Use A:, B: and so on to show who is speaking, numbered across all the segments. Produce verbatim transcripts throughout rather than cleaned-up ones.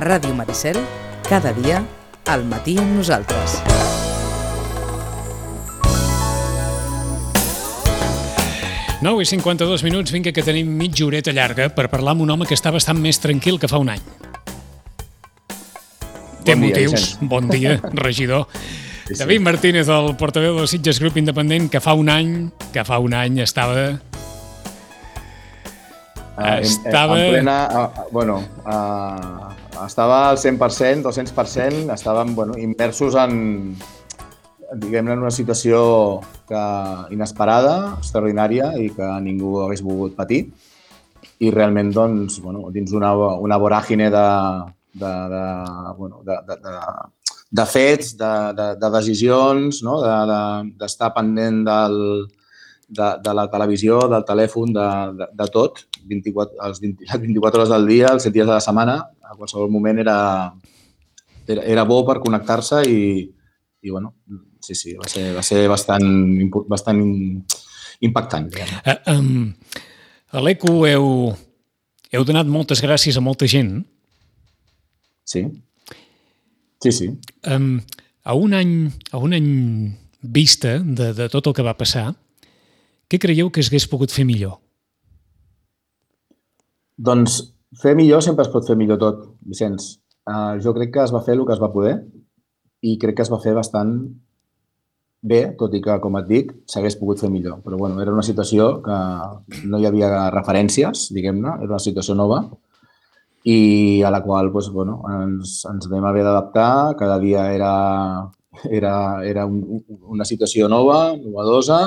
A: Ràdio Maricel, cada dia, al matí amb nosaltres.
B: nou i cinquanta-dos minuts, vinga que tenim mitja horeta llarga per parlar amb un home que està bastant més tranquil que fa un any. Té
C: Bon dia,
B: motius.
C: Vicent.
B: Bon dia, regidor.
C: Sí, sí.
B: David Martínez, el portaveu del Sitges Grup Independent, que fa un any, que fa un any estava...
C: Uh,
B: Estava-
C: En, en plena... Uh, bueno, uh, estava al cent per cent, dos-cents per cent, estàvem bueno, immersos en, diguem-ne, en una situació que, inesperada, extraordinària i que ningú hagués volgut patir. I realment, doncs, bueno, dins una, una voràgine de, de, de, bueno, de, de, de, de fets, de, de, de decisions, no? de, de, d'estar pendent del, de, de la televisió, del telèfon, de, de, de tot, vint-i-quatre, els vint, les vint-i-quatre hores del dia, els set dies de la setmana, a qualsevol moment era, era, era bo per connectar-se i, i bueno, sí, sí, va ser, va ser bastant, impo- bastant impactant. Diguem.
B: Uh, um, a l'E C U heu, heu donat moltes gràcies a molta gent.
C: Sí, sí, sí.
B: Um, a, un any, a un any vista de, de tot el que va passar, què creieu que s'hagués pogut fer millor?
C: Doncs fer millor sempre es pot fer millor tot, Vicenç. Uh, jo crec que es va fer el que es va poder i crec que es va fer bastant bé, tot i que, com et dic, s'hagués pogut fer millor. Però bueno, era una situació que no hi havia referències, diguem-ne, era una situació nova i a la qual doncs, bueno, ens, ens vam haver d'adaptar. Cada dia era, era, era un, una situació nova, novedosa,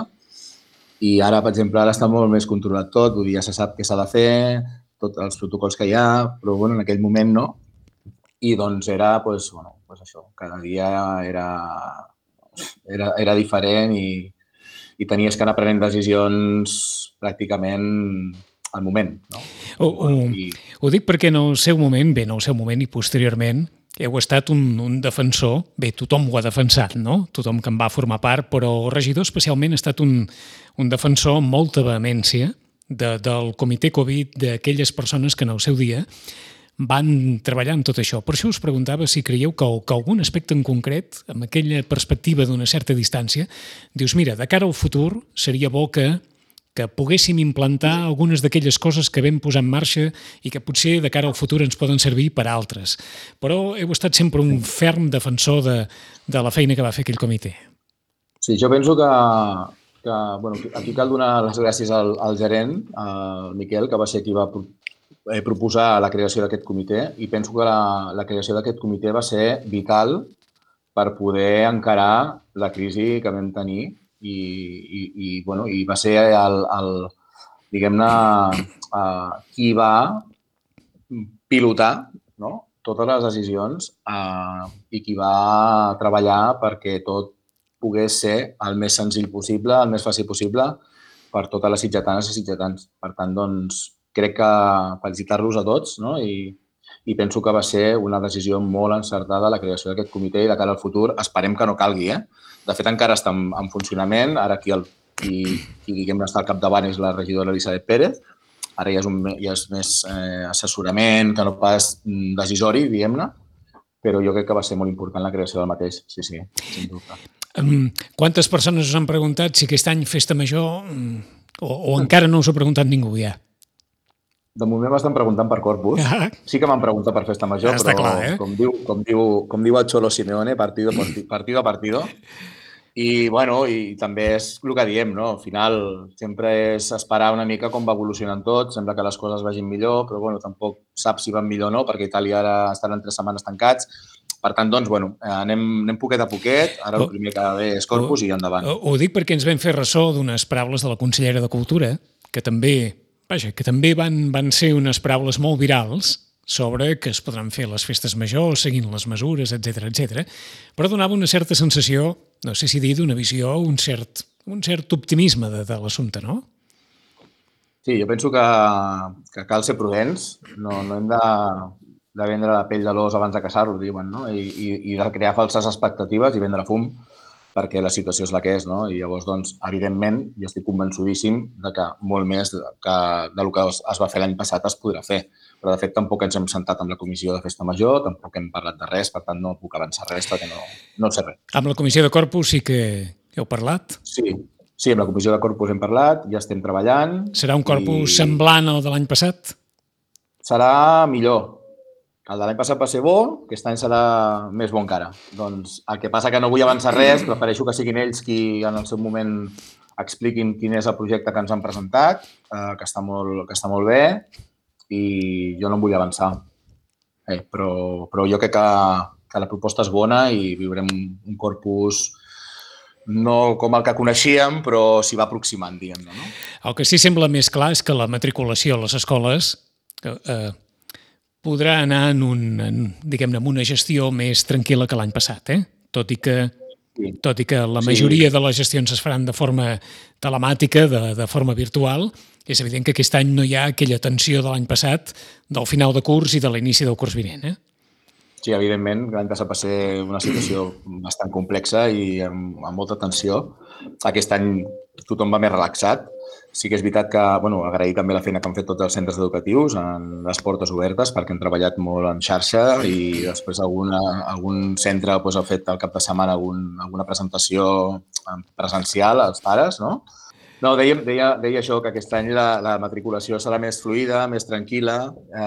C: i ara, per exemple, ara està molt més controlat tot, vull dir, ja se sap què s'ha de fer, tots els protocols que hi ha, però bueno, en aquell moment no. I doncs era, doncs, bueno, doncs això, cada dia era, era, era diferent i, i tenies que anar prenent decisions pràcticament al moment. No?
B: Ho, ho,
C: I,
B: ho dic perquè en el seu moment, bé, en el seu moment i posteriorment, heu estat un, un defensor, bé, tothom ho ha defensat, no? Tothom que en va formar part, però el regidor especialment ha estat un, un defensor amb molta vehemència de, del comitè Covid, d'aquelles persones que en el seu dia van treballar en tot això. Per això us preguntava si creieu que, que algun aspecte en concret, amb aquella perspectiva d'una certa distància, dius, mira, de cara al futur seria bo que que poguéssim implantar algunes d'aquelles coses que vam posar en marxa i que potser de cara al futur ens poden servir per a altres. Però heu estat sempre un ferm defensor de, de la feina que va fer aquell comitè.
C: sí, jo penso que, que bueno, aquí cal donar les gràcies al, al gerent, al Miquel, que va ser qui va pro- eh, proposar la creació d'aquest comitè, i penso que la, la creació d'aquest comitè va ser vital per poder encarar la crisi que vam tenir i, i, i, bueno, i va ser el, el diguem-ne, uh, qui va pilotar, no? Totes les decisions uh, i qui va treballar perquè tot pogués ser el més senzill possible, el més fàcil possible per totes les sitgetanes i sitgetans. Per tant, doncs, crec que felicitar-los a tots, no? I, i penso que va ser una decisió molt encertada la creació d'aquest comitè i de cara al futur esperem que no calgui, eh? De fet, encara està en, en funcionament. Ara qui, el, qui, qui diguem-ne, està al capdavant és la regidora Elisabet Pérez. Ara ja és, un, ja és més eh, assessorament que no pas mm, decisori, diguem-ne, però jo crec que va ser molt important la creació del mateix. Sí, sí, sin dubte.
B: Um, quantes persones us han preguntat si aquest any festa major um, o, o encara no us ha preguntat ningú ja?
C: De moment m'estan preguntant per Corpus.
B: Ah.
C: Sí que m'han preguntat per festa major,
B: Està
C: però
B: clar, eh?
C: com, diu, com, diu, com diu el Xolo Simeone, partido, parti- partido a partido. I, bueno, i també és el que diem, no? Al final sempre és esperar una mica com va evolucionant tot. Sembla que les coses vagin millor, però bueno, tampoc saps si van millor o no, perquè Itàlia ara estaran tres setmanes tancats. Per tant, doncs, bueno, anem, anem poquet a poquet. Ara el primer que ve és Corpus i endavant.
B: Ho, ho dic perquè ens vam fer ressò d'unes paraules de la consellera de Cultura, que també, vaja, que també van, van ser unes paraules molt virals sobre que es podran fer les festes majors seguint les mesures, etcètera, etcètera, però donava una certa sensació, no sé si dir d'una visió, un cert, un cert optimisme de, de l'assumpte, no?
C: Sí, jo penso que, que cal ser prudents. No, no hem de, de vendre la pell de l'os abans de caçar-lo, diuen, no? I, i, i de crear falses expectatives i vendre fum. perquè la situació és la que és, no? I llavors, doncs, evidentment, jo estic convençudíssim de que molt més que del que es va fer l'any passat es podrà fer. Però, de fet, tampoc ens hem sentat amb la comissió de festa major, tampoc hem parlat de res, per tant, no puc avançar res perquè no, no sé res.
B: Amb la comissió de Corpus sí que heu parlat?
C: Sí, sí, amb la comissió de Corpus hem parlat, ja estem treballant.
B: Serà un Corpus i... semblant al de l'any passat?
C: Serà millor. El de l'any passat va ser bo, aquest any serà més bo encara. Doncs el que passa que no vull avançar res, prefereixo que siguin ells qui en el seu moment expliquin quin és el projecte que ens han presentat, eh, que, està molt, que està molt bé, i jo no em vull avançar. Eh, però, però jo crec que, que la proposta és bona i viurem un Corpus no com el que coneixíem, però s'hi va aproximant, diguem-ne. No?
B: El que sí sembla més clar és que la matriculació a les escoles eh, podrà anar en, un, en, diguem-ne, en una gestió més tranquil·la que l'any passat, eh? Tot i que, sí. tot i que la majoria sí. de les gestions es faran de forma telemàtica, de, de forma virtual, és evident que aquest any no hi ha aquella tensió de l'any passat, del final de curs i de l'inici del curs vinent, eh?
C: Sí, evidentment, l'any passat va ser una situació bastant complexa i amb, amb molta tensió. Aquest any tothom va més relaxat. Sí que és veritat que, bueno, agrair també la feina que han fet tots els centres educatius en les portes obertes perquè han treballat molt en xarxa i després alguna, algun centre doncs, ha fet al cap de setmana algun, alguna presentació presencial als pares, no? No, deia, deia, deia això, que aquest any la, la matriculació serà més fluida, més tranquil·la, eh,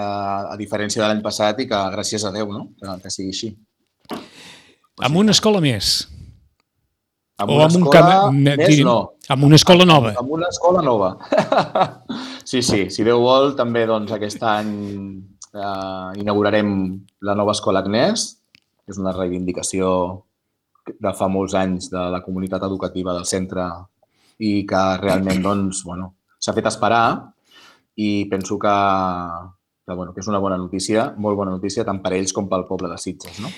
C: a diferència de l'any passat i que gràcies a Déu, no? que, que sigui així.
B: Amb una escola més?
C: Amb una escola més, no.
B: Amb una escola nova.
C: Amb una escola nova. Sí, sí. Si Déu vol, també doncs, aquest any eh, inaugurarem la nova escola Agnès, que és una reivindicació de fa molts anys de la comunitat educativa del centre i que realment doncs, bueno, s'ha fet esperar i penso que, que, bueno, que és una bona notícia, molt bona notícia, tant per ells com pel poble de Sitges. No?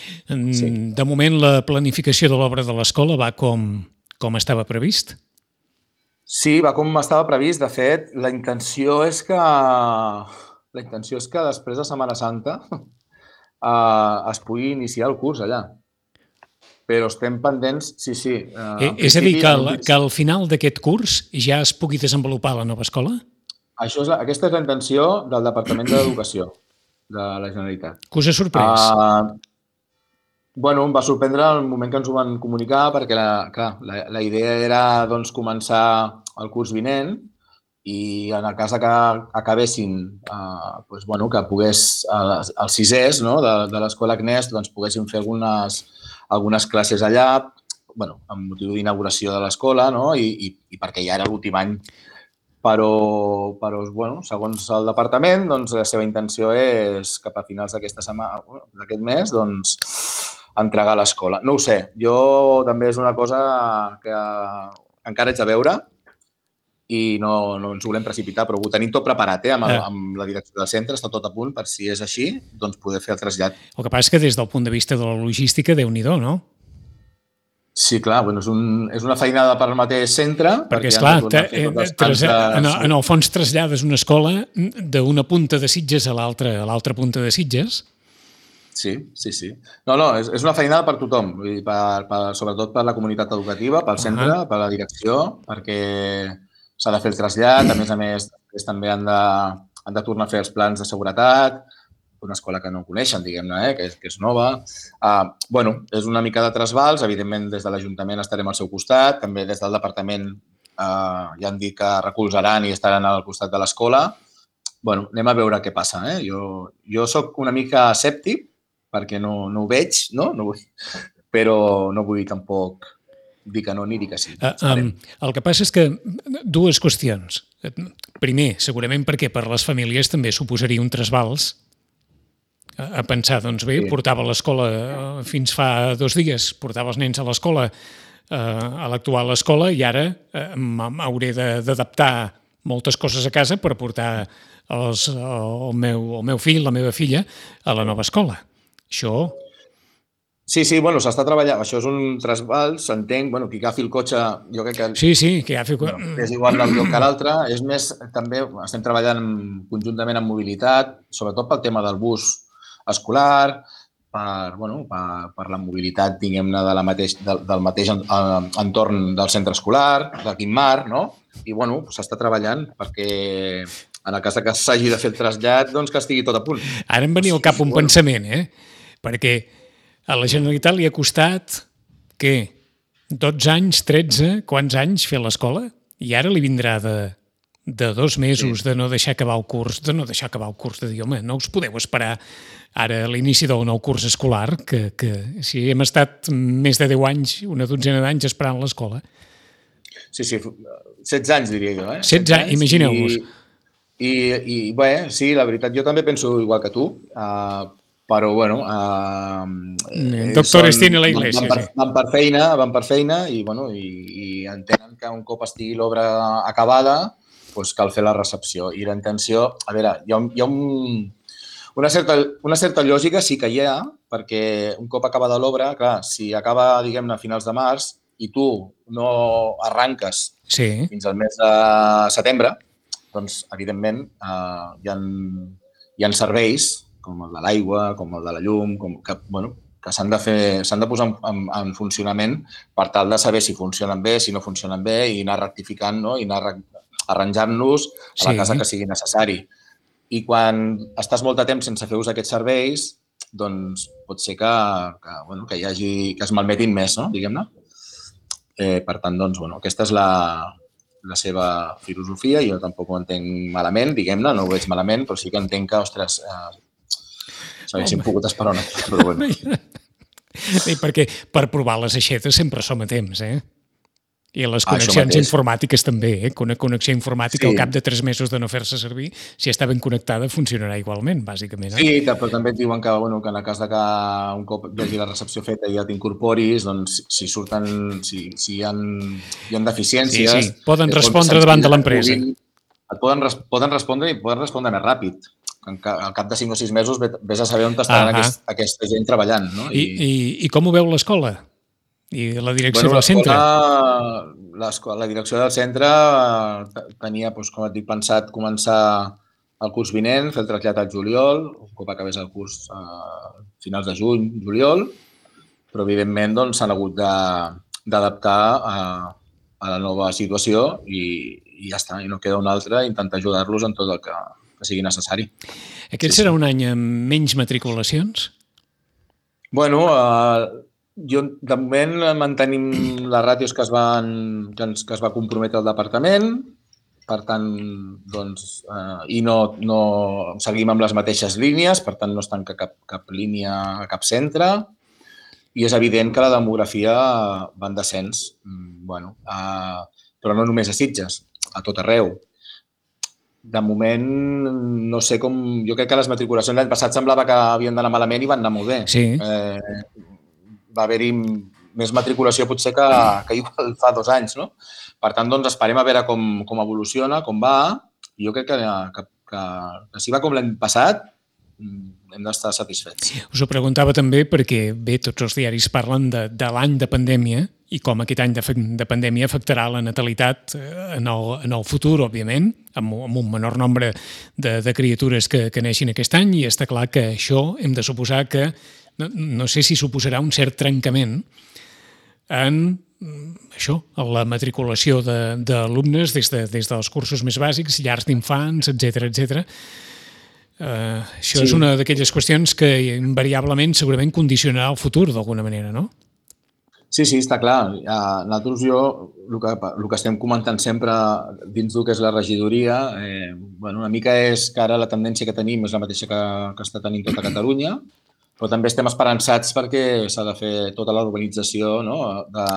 B: Sí. De moment, la planificació de l'obra de l'escola va com, com estava previst?
C: Sí, va com estava previst. De fet, la intenció és que, la intenció és que després de Setmana Santa eh, es pugui iniciar el curs allà. Però estem pendents, sí, sí.
B: Eh, és a dir, que al, que al final d'aquest curs ja es pugui desenvolupar la nova escola?
C: Això és la, aquesta és la intenció del Departament d'Educació de la Generalitat.
B: Que us ha sorprès?
C: Uh, bueno, em va sorprendre el moment que ens ho van comunicar perquè la, clar, la, la idea era doncs, començar el curs vinent i en el cas que acabessin, uh, doncs, bueno, que pogués, uh, els sisès no, de, de l'escola Agnès doncs, poguessin fer algunes algunes classes allà, bueno, amb motiu d'inauguració de l'escola, no? I, i, i perquè ja era l'últim any. Però, però bueno, segons el departament, doncs, la seva intenció és cap a finals d'aquesta setmana, d'aquest mes, doncs, entregar l'escola. No ho sé, jo també és una cosa que encara haig de veure i no, no ens volem precipitar, però ho tenim tot preparat, eh? amb, el, amb la direcció del centre, està tot a punt per si és així, doncs poder fer el trasllat.
B: El que passa és que des del punt de vista de la logística, Déu-n'hi-do, no?
C: Sí, clar, bueno, és, un, és una feinada per al mateix centre.
B: Perquè, esclar, en, en el fons trasllades una escola d'una punta de Sitges a l'altra a l'altra punta de Sitges.
C: Sí, sí, sí. No, no, és, és una feinada per tothom, per, per, sobretot per la comunitat educativa, pel centre, uh -huh. per la direcció, perquè s'ha de fer el trasllat, a més a més, també han de, han de tornar a fer els plans de seguretat, una escola que no coneixen, diguem-ne, eh, que, és, que és nova. Uh, bueno, és una mica de trasbals, evidentment des de l'Ajuntament estarem al seu costat, també des del Departament uh, ja han dit que recolzaran i estaran al costat de l'escola. Bueno, anem a veure què passa. Eh? Jo, jo soc una mica escèptic, perquè no, no ho veig, no? No vull, però no vull tampoc dir que no ni dir que sí.
B: Uh, um, el que passa és que dues qüestions. Primer, segurament perquè per les famílies també suposaria un trasbals a pensar, doncs bé, sí. Portava l'escola fins fa dos dies, portava els nens a l'escola, eh, a l'actual escola, i ara eh, m'hauré d'adaptar moltes coses a casa per portar els, el, meu, el meu fill, la meva filla, a la nova escola. Això...
C: Sí, sí, bueno, s'està treballant. Això és un trasbals, s'entenc. Bueno, qui agafi el cotxe, jo crec que...
B: Sí, sí, qui agafi...
C: No, és igual d'un lloc que l'altre. És més, també estem treballant conjuntament en mobilitat, sobretot pel tema del bus escolar, per, bueno, per, per la mobilitat, diguem-ne, de la mateix, del, del mateix entorn del centre escolar, de Guimmar, no? I, bueno, s'està treballant perquè en el cas que s'hagi de fer el trasllat, doncs que estigui tot a punt.
B: Ara em venia al cap un
C: bueno.
B: pensament, eh? Perquè a la Generalitat li ha costat, què? dotze anys, tretze, quants anys fer l'escola? I ara li vindrà de, de dos mesos sí. de no deixar acabar el curs, de no deixar acabar el curs, de dir, home, no us podeu esperar ara a l'inici del nou curs escolar, que, que si hem estat més de deu anys, una dotzena d'anys esperant l'escola.
C: Sí, sí, setze anys diria jo, eh?
B: setze anys, imagineu-vos.
C: I, i, i bé, sí, la veritat, jo també penso igual que tu, uh, però, bueno... Uh,
B: El doctor són, tiene la iglesia,
C: van, van, per,
B: sí.
C: Van per feina, van per feina i, bueno, i, i entenen que un cop estigui l'obra acabada, doncs cal fer la recepció. I la intenció... A veure, hi ha, hi ha un, una, certa, una certa lògica sí que hi ha, perquè un cop acabada l'obra, clar, si acaba, diguem-ne, a finals de març i tu no arranques
B: sí.
C: fins al mes de setembre, doncs, evidentment, eh, hi, ha, hi ha serveis, com el de l'aigua, com el de la llum, com, que, bueno, que s'han de fer, s'han de posar en, en funcionament per tal de saber si funcionen bé, si no funcionen bé, i anar rectificant, no? I anar arranjant-los a la sí. casa que sigui necessari. I quan estàs molt de temps sense fer ús d'aquests serveis, doncs pot ser que, que, bueno, que, hi hagi, que es malmetin més, no? Diguem-ne. Eh, per tant, doncs, bueno, aquesta és la... la seva filosofia, jo tampoc ho entenc malament, diguem-ne, no ho veig malament, però sí que entenc que, ostres, eh, s'haguessin pogut esperar una mica, però bueno.
B: Sí, perquè per provar les aixetes sempre som a temps, eh? I les connexions informàtiques també, eh? Una connexió informàtica sí. al cap de tres mesos de no fer-se servir, si està ben connectada, funcionarà igualment, bàsicament. Eh?
C: Sí, però també et diuen que, bueno, que en el cas de que un cop hi hagi la recepció feta i ja t'incorporis, doncs si surten, si, si hi ha, hi ha deficiències...
B: Sí, sí, poden respondre davant de l'empresa.
C: Et poden, poden respondre i poden respondre més ràpid. Al cap de cinc o sis mesos vés a saber on estaran aquest, aquesta gent treballant. No?
B: I, I, i com ho veu l'escola? I la direcció
C: bueno,
B: del centre?
C: La direcció del centre tenia, doncs, com et dic, pensat començar el curs vinent, fer el trasllat al juliol, un cop acabés el curs a finals de juny, juliol, però evidentment doncs, s'han hagut d'adaptar a, a la nova situació i, i ja està, i no queda una altra, intentar ajudar-los en tot el que, que sigui necessari.
B: Aquest sí, serà sí. un any amb menys matriculacions?
C: Bueno, eh, jo, de moment, mantenim les ràtios que es, van, que, ens, que es va comprometre el departament, per tant, doncs, eh, i no, no seguim amb les mateixes línies, per tant, no es tanca cap, cap línia a cap centre, i és evident que la demografia va en descens, bueno, eh, però no només a Sitges, a tot arreu. De moment, no sé com... Jo crec que les matriculacions l'any passat semblava que havien d'anar malament i van anar molt bé.
B: Sí.
C: Eh, va haver-hi més matriculació potser que, que igual fa dos anys, no? Per tant, doncs, esperem a veure com, com evoluciona, com va. I jo crec que, que, que, que si va com l'any passat, hem d'estar satisfets.
B: Us ho preguntava també perquè, bé, tots els diaris parlen de, de l'any de pandèmia i com aquest any de, de pandèmia afectarà la natalitat en el, en el futur, òbviament, amb, amb un menor nombre de, de criatures que, que neixin aquest any, i està clar que això hem de suposar que, no, no sé si suposarà un cert trencament en això, la matriculació d'alumnes des, de, des dels cursos més bàsics, llars d'infants, etcètera, etcètera. Uh, això sí. És una d'aquelles qüestions que invariablement segurament condicionarà el futur d'alguna manera, no?
C: Sí, sí, està clar. Uh, nosaltres, jo, el que, el que estem comentant sempre dins del que és la regidoria, eh, bueno, una mica és que ara la tendència que tenim és la mateixa que, que està tenint tota Catalunya, però també estem esperançats perquè s'ha de fer tota la urbanització, no? de,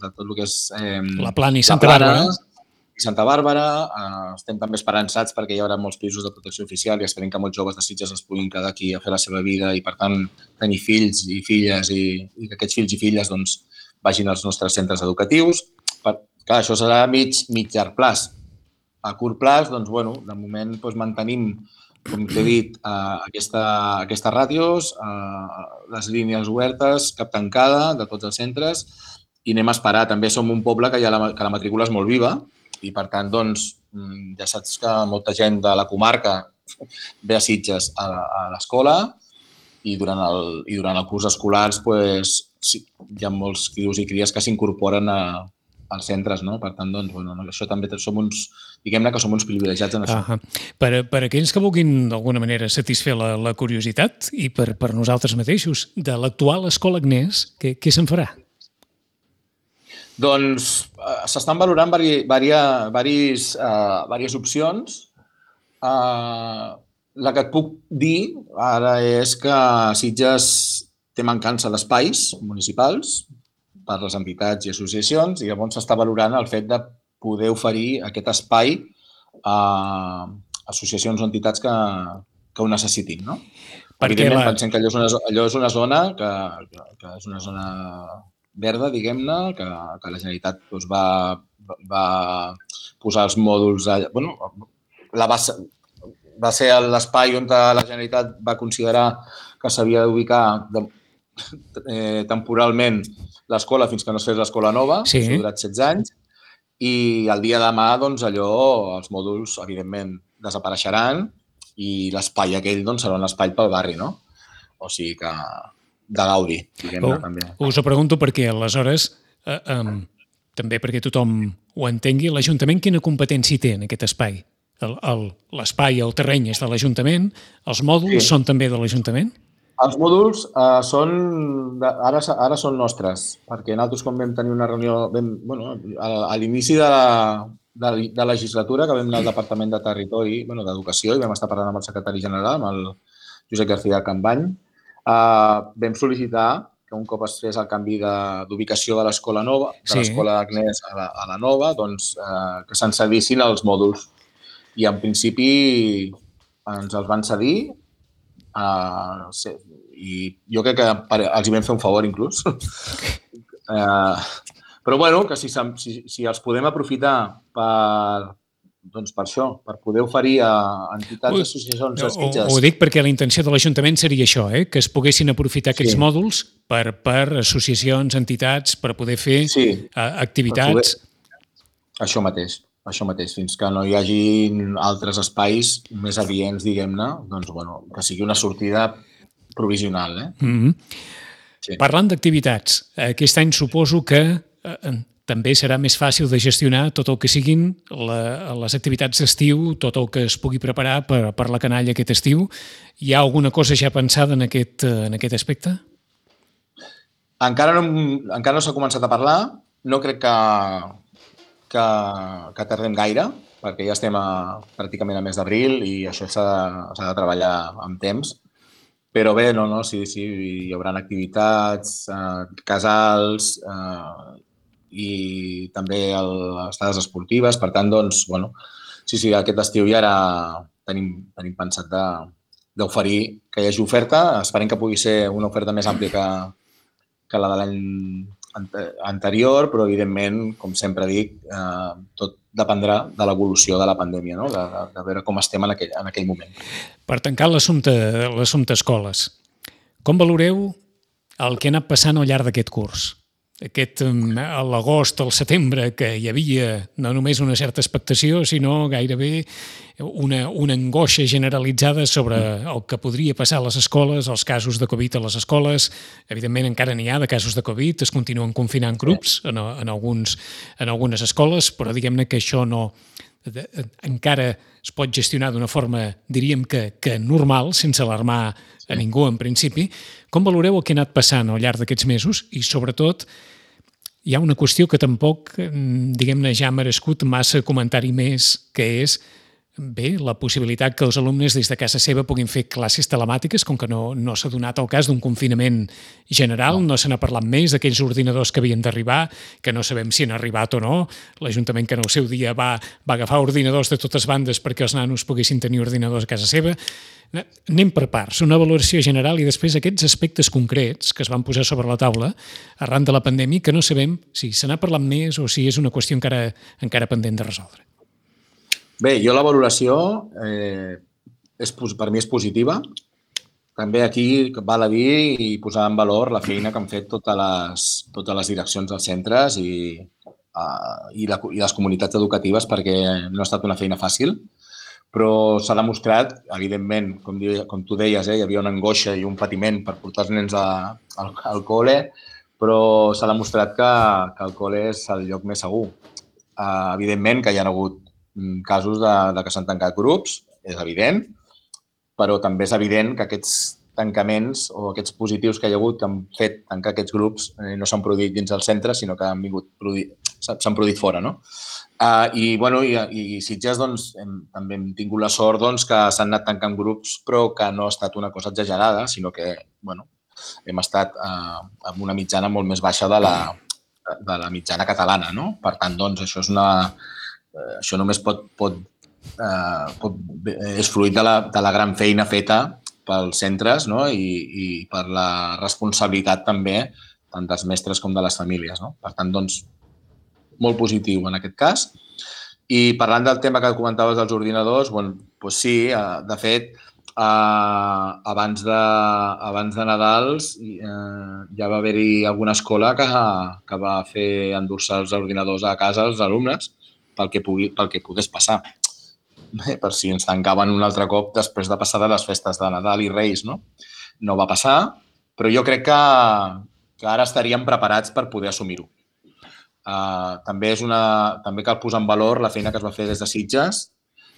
C: de tot el que és... Eh,
B: la Plana i Santa Bàrbara.
C: I Santa Bàrbara. Eh, estem també esperançats perquè hi haurà molts pisos de protecció oficial i esperem que molts joves de Sitges es puguin quedar aquí a fer la seva vida i, per tant, tenir fills i filles i, i que aquests fills i filles doncs, vagin als nostres centres educatius. Per, clar, això serà a mig, mig llarg plaç. A curt plaç, doncs, bueno, de moment doncs, mantenim, com t'he dit, eh, aquesta, aquestes ràtios, eh, les línies obertes, cap tancada de tots els centres, i anem a esperar. També som un poble que, ja la, que la matrícula és molt viva i, per tant, doncs, ja saps que molta gent de la comarca ve a Sitges a, a l'escola i durant el, i durant el curs escolars pues, sí, hi ha molts crios i cries que s'incorporen a, als centres, no? Per tant, doncs, bueno, això també som uns, diguem-ne que som uns privilegiats en això.
B: Uh -huh. per, per aquells que vulguin d'alguna manera satisfer la, la curiositat i per, per nosaltres mateixos, de l'actual Escola Agnès, què, què se'n farà?
C: Doncs uh, s'estan valorant vari, varia, varis, uh, varies opcions. Uh, la que et puc dir ara és que Sitges té mancança d'espais municipals per les entitats i associacions i llavors s'està valorant el fet de poder oferir aquest espai a associacions o entitats que, que ho necessitin, no?
B: Perquè
C: Evidentment,
B: la...
C: pensem que allò és una, allò és una zona que, que, que és una zona verda, diguem-ne, que, que la Generalitat doncs, va, va posar els mòduls... Allà, bueno, la va, va ser l'espai on la Generalitat va considerar que s'havia d'ubicar eh, temporalment l'escola fins que no es fes l'escola nova,
B: sí.
C: Això ha durat setze anys, i el dia de demà, doncs, allò, els mòduls, evidentment, desapareixeran i l'espai aquell doncs, serà un espai pel barri, no? O sigui que de gaudi, diguem-ne,
B: oh, també.
C: Us
B: ho pregunto perquè, aleshores, eh, eh, també perquè tothom ho entengui, l'Ajuntament quina competència té en aquest espai? L'espai, el, el terreny és de l'Ajuntament, els mòduls sí. són també de l'Ajuntament?
C: Els mòduls uh, són, de, ara, ara són nostres, perquè nosaltres quan vam tenir una reunió, vam, bueno, a, a l'inici de la, de, de la legislatura, que vam anar al Departament de Territori, bueno, d'Educació, i vam estar parlant amb el secretari general, amb el Josep García Campany, uh, vam sol·licitar que un cop es fes el canvi d'ubicació de, de l'escola nova, de sí. l'escola Agnès a la, a la nova, doncs uh, que se'n cedissin els mòduls. I en principi ens els van cedir, Uh, sí. i jo crec que els hi vam fer un favor inclús. uh, però bueno, que si, si, si els podem aprofitar per, doncs per això, per poder oferir a entitats, associacions,
B: no, Sitges. Ho, ho dic perquè la intenció de l'Ajuntament seria això, eh? Que es poguessin aprofitar aquests sí. mòduls per, per associacions, entitats, per poder fer sí. uh, activitats.
C: Poder... Això mateix. Això mateix, fins que no hi hagi altres espais més adients, diguem-ne, doncs, bueno, que sigui una sortida provisional. Eh?
B: Mm-hmm. Sí. Parlant d'activitats, aquest any suposo que eh, també serà més fàcil de gestionar tot el que siguin la, les activitats d'estiu, tot el que es pugui preparar per, per la canalla aquest estiu. Hi ha alguna cosa ja pensada en aquest, en aquest aspecte?
C: Encara no, encara no s'ha començat a parlar. No crec que... Que, que tardem gaire, perquè ja estem a, pràcticament a mes d'abril i això s'ha de, de treballar amb temps. Però bé, no, no, sí, sí, hi haurà activitats, eh, casals eh, i també el, les estades esportives. Per tant, doncs, bueno, sí, sí, aquest estiu ja ara tenim, tenim pensat d'oferir que hi hagi oferta. Esperem que pugui ser una oferta més àmplia que, que la de l'any anterior, però evidentment, com sempre dic, eh, tot dependrà de l'evolució de la pandèmia, no? de, de, de veure com estem en aquell, en aquell moment.
B: Per tancar l'assumpte escoles, com valoreu el que ha anat passant al llarg d'aquest curs? Aquest, a l'agost, al setembre, que hi havia no només una certa expectació, sinó gairebé una, una angoixa generalitzada sobre el que podria passar a les escoles, els casos de Covid a les escoles. Evidentment, encara n'hi ha de casos de Covid, es continuen confinant grups en, en, alguns, en algunes escoles, però diguem-ne que això no... De, encara es pot gestionar d'una forma, diríem que, que normal, sense alarmar a ningú en principi. Com valoreu el que ha anat passant al llarg d'aquests mesos i, sobretot, hi ha una qüestió que tampoc, diguem-ne, ja ha merescut massa comentari més, que és, bé, la possibilitat que els alumnes des de casa seva puguin fer classes telemàtiques, com que no, no s'ha donat el cas d'un confinament general, no, no se n'ha parlat més d'aquells ordinadors que havien d'arribar, que no sabem si han arribat o no. L'Ajuntament que en el seu dia va, va agafar ordinadors de totes bandes perquè els nanos poguessin tenir ordinadors a casa seva. Anem per parts, una valoració general i després aquests aspectes concrets que es van posar sobre la taula arran de la pandèmia que no sabem si se n'ha parlat més o si és una qüestió encara, encara pendent de resoldre.
C: Bé, jo la valoració eh, és, per mi és positiva. També aquí val a dir i posar en valor la feina que han fet totes les, totes les direccions dels centres i, uh, i, la, i les comunitats educatives perquè no ha estat una feina fàcil. però s'ha demostrat, evidentment, com, com tu deies, eh, hi havia una angoixa i un patiment per portar els nens a, al, al col·le, però s'ha demostrat que, que el col·le és el lloc més segur. Uh, evidentment que hi ha hagut casos de, de que s'han tancat grups, és evident, però també és evident que aquests tancaments o aquests positius que hi ha hagut que han fet tancar aquests grups eh, no s'han produït dins del centre, sinó que han vingut s'han produït fora, no? Uh, I, bueno, i, i Sitges, doncs, hem, també hem tingut la sort doncs, que s'han anat tancant grups, però que no ha estat una cosa exagerada, sinó que, bueno, hem estat uh, amb una mitjana molt més baixa de la, de la mitjana catalana, no? Per tant, doncs, això és una... Uh, això només pot... pot, uh, pot és fruit de la, de la gran feina feta pels centres, no? I, i per la responsabilitat també tant dels mestres com de les famílies, no? Per tant, doncs, molt positiu en aquest cas. I parlant del tema que comentaves dels ordinadors, bueno, doncs sí, de fet, eh, abans, de, abans de Nadals eh, ja va haver-hi alguna escola que, que va fer endur-se els ordinadors a casa als alumnes pel que, pugui, pel que pogués passar. Bé, per si ens tancaven un altre cop després de passar de les festes de Nadal i Reis, no? No va passar, però jo crec que, que ara estaríem preparats per poder assumir-ho. Uh, també, és una, també cal posar en valor la feina que es va fer des de Sitges,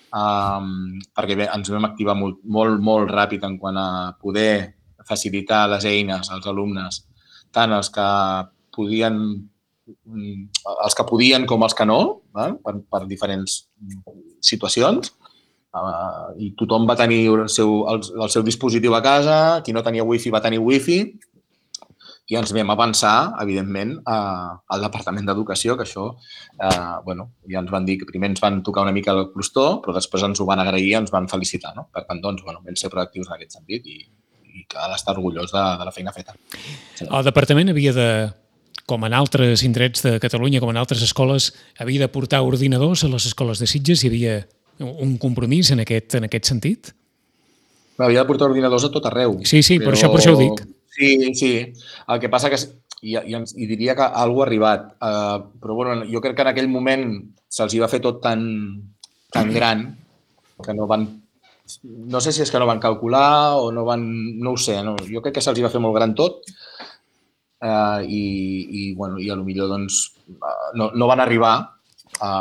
C: um, perquè bé, ens vam activar molt, molt, molt ràpid en quant a poder facilitar les eines als alumnes, tant els que podien, els que podien com els que no, eh? per, per diferents situacions, uh, i tothom va tenir el seu, el, el seu dispositiu a casa, qui no tenia wifi va tenir wifi, i ens vam avançar, evidentment, uh, al Departament d'Educació, que això, uh, bueno, ja ens van dir que primer ens van tocar una mica el crostó, però després ens ho van agrair i ens van felicitar, no? Per tant, doncs, bueno, vam ser proactius en aquest sentit i, i cal estar orgullós de, de la feina feta.
B: Sí. El Departament havia de, com en altres indrets de Catalunya, com en altres escoles, havia de portar ordinadors a les escoles de Sitges? Hi havia un compromís en aquest, en aquest sentit?
C: Havia de portar ordinadors a tot arreu.
B: Sí, sí, però... per això, per això ho dic.
C: Sí, sí. El que passa que i, i, i diria que alguna ha arribat, uh, però bueno, jo crec que en aquell moment se'ls hi va fer tot tan, tan gran que no van... No sé si és que no van calcular o no van... No ho sé, no? Jo crec que se'ls hi va fer molt gran tot. Uh, i, i, bueno, i a lo millor doncs, uh, no, no van arribar a,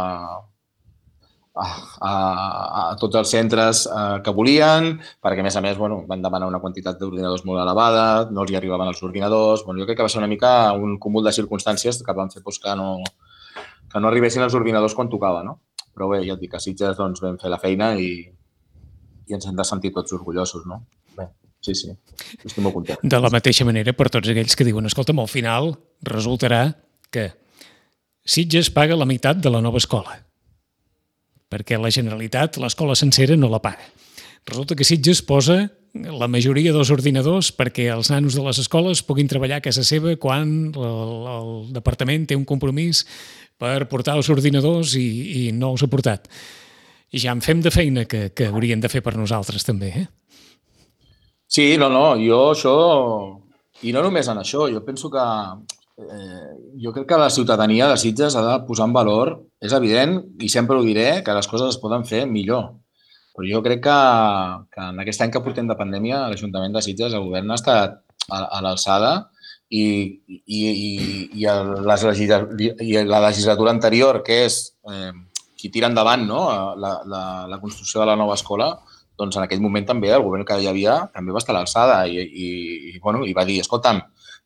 C: a, a, a tots els centres uh, que volien, perquè a més a més bueno, van demanar una quantitat d'ordinadors molt elevada, no els hi arribaven els ordinadors. Bueno, jo crec que va ser una mica un cúmul de circumstàncies que van fer doncs, que, no, que no arribessin els ordinadors quan tocava, no? Però bé, ja et dic, a Sitges doncs, vam fer la feina i, i ens hem de sentir tots orgullosos, no? Bé. Sí, sí, estic molt content.
B: De la mateixa manera, per tots aquells que diuen, escolta'm, al final resultarà que Sitges paga la meitat de la nova escola, perquè la Generalitat, l'escola sencera, no la paga. Resulta que Sitges posa la majoria dels ordinadors perquè els nanos de les escoles puguin treballar a casa seva quan el, el departament té un compromís per portar els ordinadors i, i no els ha portat. I ja en fem de feina que, que haurien de fer per nosaltres també, eh?
C: Sí, no, no, jo això... I no només en això, jo penso que... Eh, jo crec que la ciutadania de Sitges ha de posar en valor, és evident, i sempre ho diré, que les coses es poden fer millor. Però jo crec que, que en aquest any que portem de pandèmia, l'Ajuntament de Sitges, el govern ha estat a, a l'alçada i, i, i, i, les i la legislatura anterior, que és eh, qui tira endavant no? la, la, la construcció de la nova escola, doncs en aquell moment també el govern que hi havia també va estar a l'alçada i, i, i, bueno, i va dir, escolta'm,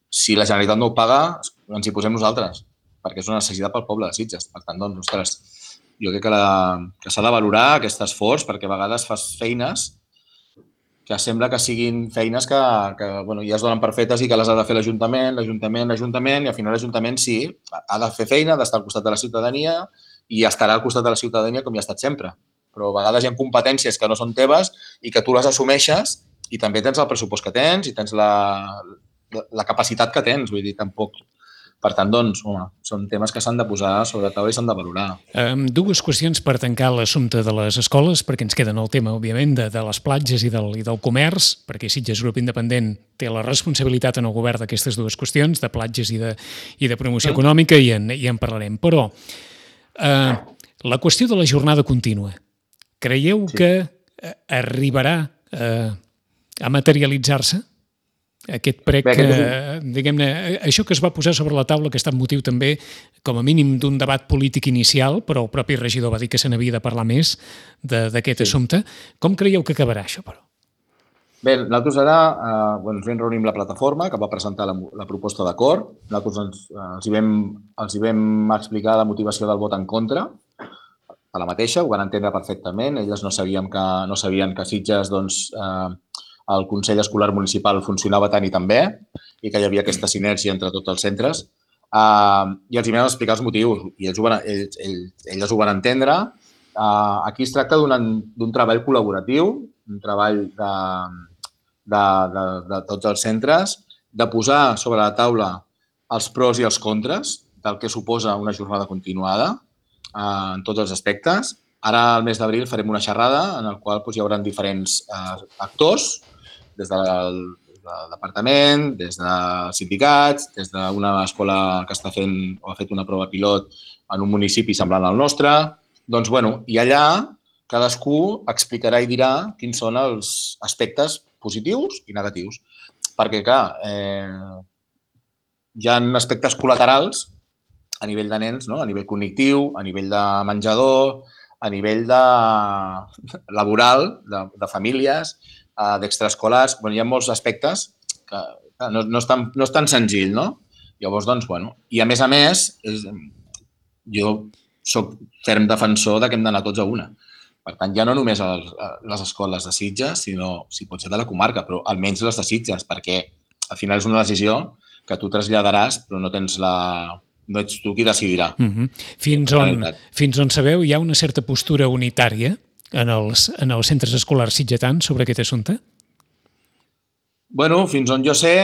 C: si la Generalitat no ho paga, ens hi posem nosaltres, perquè és una necessitat pel poble de Sitges. Per tant, doncs, ostres, jo crec que, la, que s'ha de valorar aquest esforç, perquè a vegades fas feines que sembla que siguin feines que, que bueno, ja es donen per fetes i que les ha de fer l'Ajuntament, l'Ajuntament, l'Ajuntament, i al final l'Ajuntament sí, ha de fer feina, ha d'estar al costat de la ciutadania i estarà al costat de la ciutadania com hi ha estat sempre. Però a vegades hi ha competències que no són teves i que tu les assumeixes i també tens el pressupost que tens i tens la, la, la capacitat que tens, vull dir, tampoc. Per tant, doncs, home, són temes que s'han de posar sobre la taula i s'han de valorar.
B: Um, dues qüestions per tancar l'assumpte de les escoles, perquè ens queda el tema, òbviament, de, de les platges i del, i del comerç, perquè Sitges Grup Independent té la responsabilitat en el govern d'aquestes dues qüestions, de platges i de, i de promoció econòmica, i en, i en parlarem. Però uh, la qüestió de la jornada contínua, Creieu sí. que arribarà a, a materialitzar-se aquest prec, Bé, aquest un... diguem-ne, això que es va posar sobre la taula, que ha estat motiu també, com a mínim, d'un debat polític inicial, però el propi regidor va dir que se n'havia de parlar més d'aquest sí. assumpte. Com creieu que acabarà això, però?
C: Bé, nosaltres ara eh, bueno, ens vam reunir amb la plataforma que va presentar la, la proposta d'acord. Nosaltres ens, els, hi vam, els hi vam explicar la motivació del vot en contra, a la mateixa, ho van entendre perfectament. Elles no sabien que, no sabien que Sitges, doncs, eh, el Consell Escolar Municipal funcionava tant i tan bé i que hi havia aquesta sinergia entre tots els centres. Uh, I els hi vam explicar els motius i ells ho van, ells, ells, elles ho van entendre. Uh, aquí es tracta d'un treball col·laboratiu, un treball de, de, de, de tots els centres, de posar sobre la taula els pros i els contres del que suposa una jornada continuada uh, en tots els aspectes. Ara, al mes d'abril, farem una xerrada en la qual doncs, hi haurà diferents uh, actors, des del, del departament, des dels sindicats, des d'una escola que està fent o ha fet una prova pilot en un municipi semblant al nostre. Doncs, bueno, i allà cadascú explicarà i dirà quins són els aspectes positius i negatius. Perquè, clar, eh, hi ha aspectes col·laterals a nivell de nens, no? A nivell cognitiu, a nivell de menjador, a nivell de laboral, de, de famílies, d'extraescolars. Bueno, hi ha molts aspectes que no, no, és tan, no és tan senzill, no? Llavors, doncs, bueno, i a més a més, és, jo soc ferm defensor de que hem d'anar tots a una. Per tant, ja no només a les escoles de Sitges, sinó, si pot ser de la comarca, però almenys les de Sitges, perquè al final és una decisió que tu traslladaràs, però no tens la... no ets tu qui decidirà.
B: Uh-huh. Fins on, fins on sabeu, hi ha una certa postura unitària en els, en els centres escolars sitgetans sobre aquest assumpte?
C: Bueno, fins on jo sé,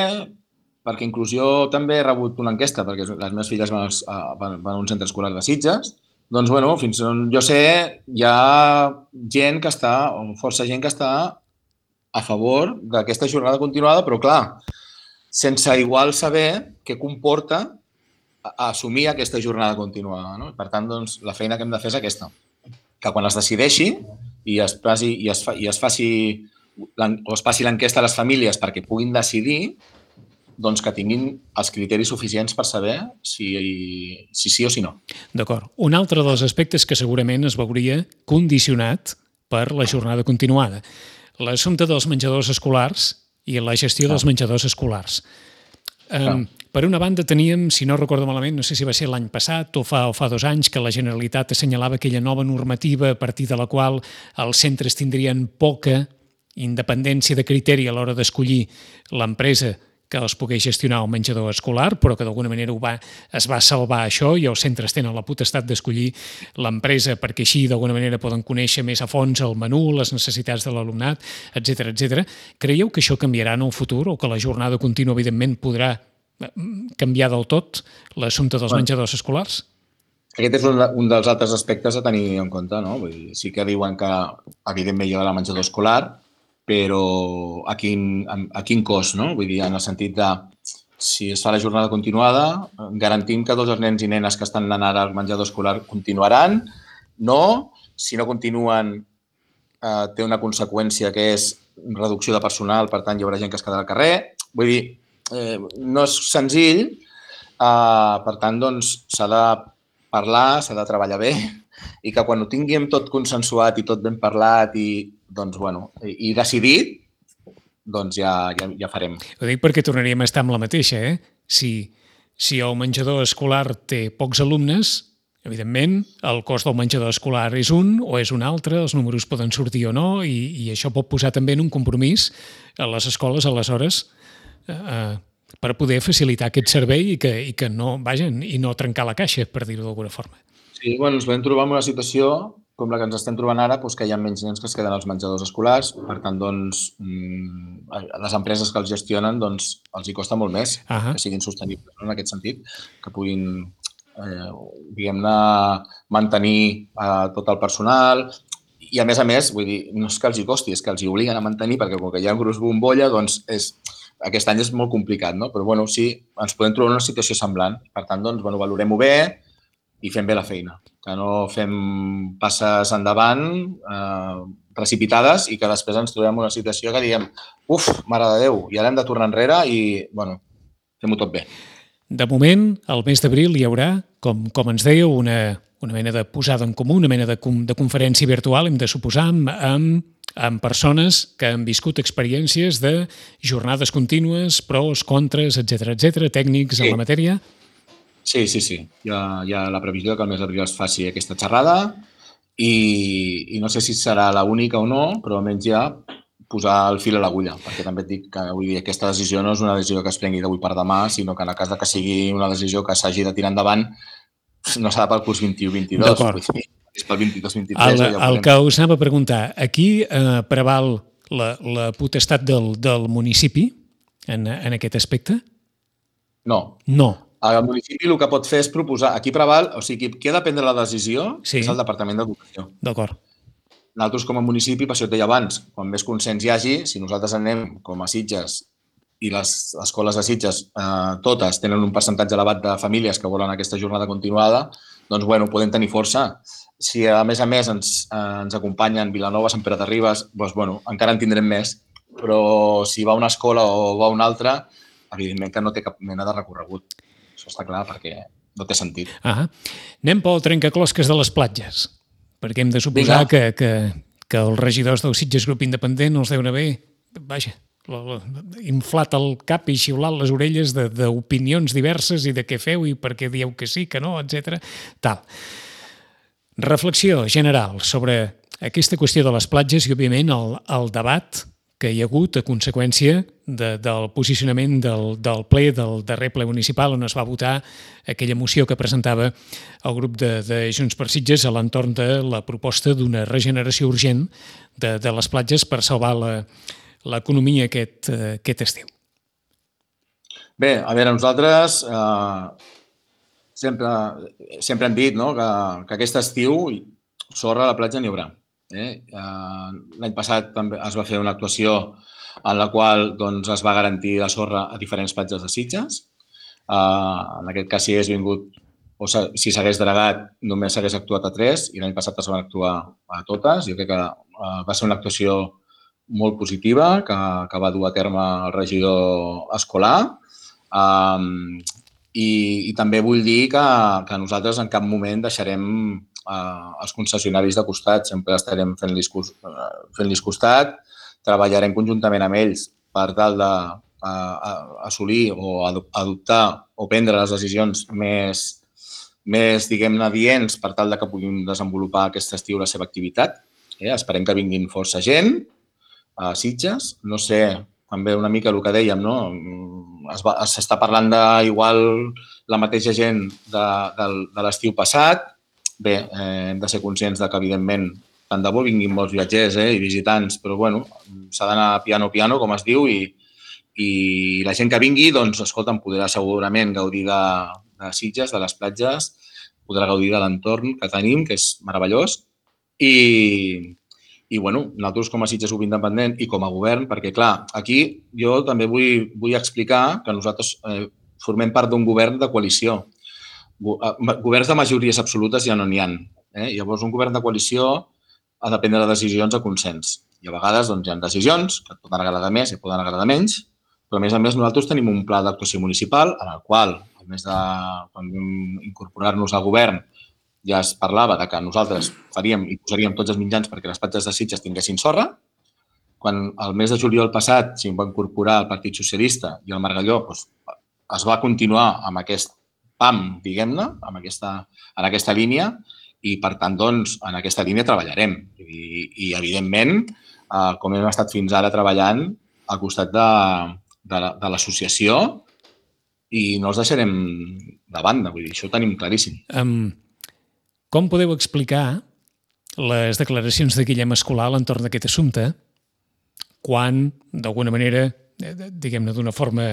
C: perquè inclús jo també he rebut una enquesta, perquè les meves filles van, van, van a un centre escolar de Sitges, doncs, bueno, fins on jo sé, hi ha gent que està, o força gent que està a favor d'aquesta jornada continuada, però clar, sense igual saber què comporta assumir aquesta jornada continuada, no? Per tant, doncs, la feina que hem de fer és aquesta, que quan es decideixi i es, passi, i es, fa, i es faci o es passi l'enquesta a les famílies perquè puguin decidir, doncs que tinguin els criteris suficients per saber si, si sí o si no.
B: D'acord. Un altre dels aspectes que segurament es veuria condicionat per la jornada continuada. L'assumpte dels menjadors escolars i la gestió dels menjadors escolars. Um, per una banda teníem, si no recordo malament, no sé si va ser l'any passat o fa, o fa dos anys, que la Generalitat assenyalava aquella nova normativa a partir de la qual els centres tindrien poca independència de criteri a l'hora d'escollir l'empresa que els pogués gestionar el menjador escolar, però que d'alguna manera ho va, es va salvar això i els centres tenen la potestat d'escollir l'empresa perquè així d'alguna manera poden conèixer més a fons el menú, les necessitats de l'alumnat, etcètera, etcètera. Creieu que això canviarà en el futur o que la jornada contínua, evidentment, podrà canviar del tot l'assumpte dels bueno, menjadors escolars?
C: Aquest és un, un dels altres aspectes a tenir en compte, no? Vull dir, sí que diuen que, evidentment, hi ha el menjador escolar, però a quin, a quin cost, no? Vull dir, en el sentit de si es fa la jornada continuada, garantim que tots els nens i nenes que estan anant ara al menjador escolar continuaran. No, si no continuen, eh, té una conseqüència que és reducció de personal, per tant, hi haurà gent que es quedarà al carrer. Vull dir, eh, no és senzill, eh, per tant, doncs, s'ha de parlar, s'ha de treballar bé i que quan ho tinguem tot consensuat i tot ben parlat i, doncs, bueno, i decidit, doncs ja, ja, ja farem.
B: Ho dic perquè tornaríem a estar amb la mateixa, eh? Si, si el menjador escolar té pocs alumnes, evidentment, el cost del menjador escolar és un o és un altre, els números poden sortir o no, i, i això pot posar també en un compromís a les escoles, aleshores, eh, per poder facilitar aquest servei i que, i que no, vaja, i no trencar la caixa, per dir-ho d'alguna forma.
C: Sí, bueno, ens vam trobar en una situació com la que ens estem trobant ara, doncs que hi ha menys nens que es queden als menjadors escolars. Per tant, doncs, les empreses que els gestionen doncs, els hi costa molt més uh-huh. que siguin sostenibles, no? En aquest sentit, que puguin, eh, diguem-ne, mantenir eh, tot el personal. I, a més a més, vull dir, no és que els hi costi, és que els hi obliguen a mantenir, perquè com que hi ha un gruix bombolla, doncs és, aquest any és molt complicat, no? Però, bueno, sí, ens podem trobar en una situació semblant. Per tant, doncs, bueno, valorem-ho bé i fem bé la feina. que no fem passes endavant eh, precipitades i que després ens trobem una situació que diem uf, mare de Déu, i ara hem de tornar enrere i, bueno, fem-ho tot bé.
B: De moment, al mes d'abril hi haurà, com, com ens dèieu, una, una mena de posada en comú, una mena de, de conferència virtual, hem de suposar, amb, amb, amb persones que han viscut experiències de jornades contínues, pros, contres, etcètera, etcètera, tècnics sí. en la matèria.
C: Sí, sí, sí. Hi ha, hi ha la previsió que al mes d'abril es faci aquesta xerrada i, i no sé si serà l'única o no, però almenys ja posar el fil a l'agulla, perquè també et dic que vull dir, aquesta decisió no és una decisió que es prengui d'avui per demà, sinó que en el cas de que sigui una decisió que s'hagi de tirar endavant, no serà pel curs vint-i-u vint-i-dos.
B: D'acord.
C: És pel vint-i-dos vint-i-tres.
B: El, ja el que us anava a preguntar, aquí eh, preval la, la potestat del, del municipi en, en aquest aspecte?
C: No.
B: No.
C: El municipi el que pot fer és proposar, aquí preval, o sigui, qui ha de prendre la decisió sí. és el Departament d'Educació.
B: D'acord.
C: Nosaltres com a municipi, per això et deia abans, quan més consens hi hagi, si nosaltres anem com a Sitges i les escoles de Sitges eh, totes tenen un percentatge elevat de famílies que volen aquesta jornada continuada, doncs bueno, podem tenir força. Si a més a més ens, eh, ens acompanyen Vilanova, Sant Pere de Ribes, doncs bueno, encara en tindrem més, però si va a una escola o va a una altra, evidentment que no té cap mena de recorregut. Això està clar perquè no té sentit.
B: Ah, anem pel trencaclosques de les platges, perquè hem de suposar que, que, que els regidors del Sitges Grup Independent els deuen haver, vaja, inflat el cap i xiulat les orelles d'opinions diverses i de què feu i per què dieu que sí, que no, etcètera. Tal. Reflexió general sobre aquesta qüestió de les platges i, òbviament, el, el debat que hi ha hagut a conseqüència de, del posicionament del, del ple, del darrer ple municipal, on es va votar aquella moció que presentava el grup de, de Junts per Sitges a l'entorn de la proposta d'una regeneració urgent de, de les platges per salvar la, l'economia aquest, aquest estiu.
C: Bé, a veure, nosaltres eh, sempre, sempre hem dit no, que, que aquest estiu sorra a la platja n'hi haurà. Eh? L'any passat també es va fer una actuació en la qual doncs, es va garantir la sorra a diferents platges de Sitges. Eh, en aquest cas, si hagués vingut o si s'hagués denegat, només s'hagués actuat a tres i l'any passat es van actuar a totes. Jo crec que eh, va ser una actuació molt positiva que, que va dur a terme el regidor escolar. Um, i, I també vull dir que, que nosaltres en cap moment deixarem uh, els concessionaris de costat. Sempre estarem fent-los fent costat, treballarem conjuntament amb ells per tal de uh, assolir o adoptar o prendre les decisions més, més diguem-ne, adients per tal de que puguin desenvolupar aquest estiu la seva activitat. Eh? Esperem que vinguin força gent a Sitges. No sé, també una mica el que dèiem, no? S'està parlant de igual la mateixa gent de, de, de l'estiu passat. Bé, eh, hem de ser conscients de que, evidentment, tant de bo vinguin molts viatgers eh, i visitants, però bueno, s'ha d'anar piano piano, com es diu, i, i la gent que vingui, doncs, escolta, em podrà segurament gaudir de, de Sitges, de les platges, podrà gaudir de l'entorn que tenim, que és meravellós, i I, bueno, nosaltres com a Sitges Grup Independent i com a govern, perquè, clar, aquí jo també vull, vull explicar que nosaltres eh, formem part d'un govern de coalició. Governs de majories absolutes ja no n'hi ha. Eh? Llavors, un govern de coalició ha de prendre decisions a consens. I a vegades doncs, hi ha decisions que et poden agradar més i poden agradar menys, però a més a més nosaltres tenim un pla d'actuació municipal en el qual, a més de incorporar-nos al govern, ja es parlava de que nosaltres faríem i posaríem tots els mitjans perquè les platges de Sitges tinguessin sorra. Quan el mes de juliol passat s'hi va incorporar el Partit Socialista i el Margalló, doncs, es va continuar amb aquest P A M, diguem-ne, en aquesta, en aquesta línia i, per tant, doncs, en aquesta línia treballarem. I, i evidentment, eh, com hem estat fins ara treballant al costat de, de, de l'associació i no els deixarem de banda. Vull dir, això ho tenim claríssim.
B: Um... Com podeu explicar les declaracions de Guillem Escolà a l'entorn d'aquest assumpte quan, d'alguna manera, diguem-ne d'una forma,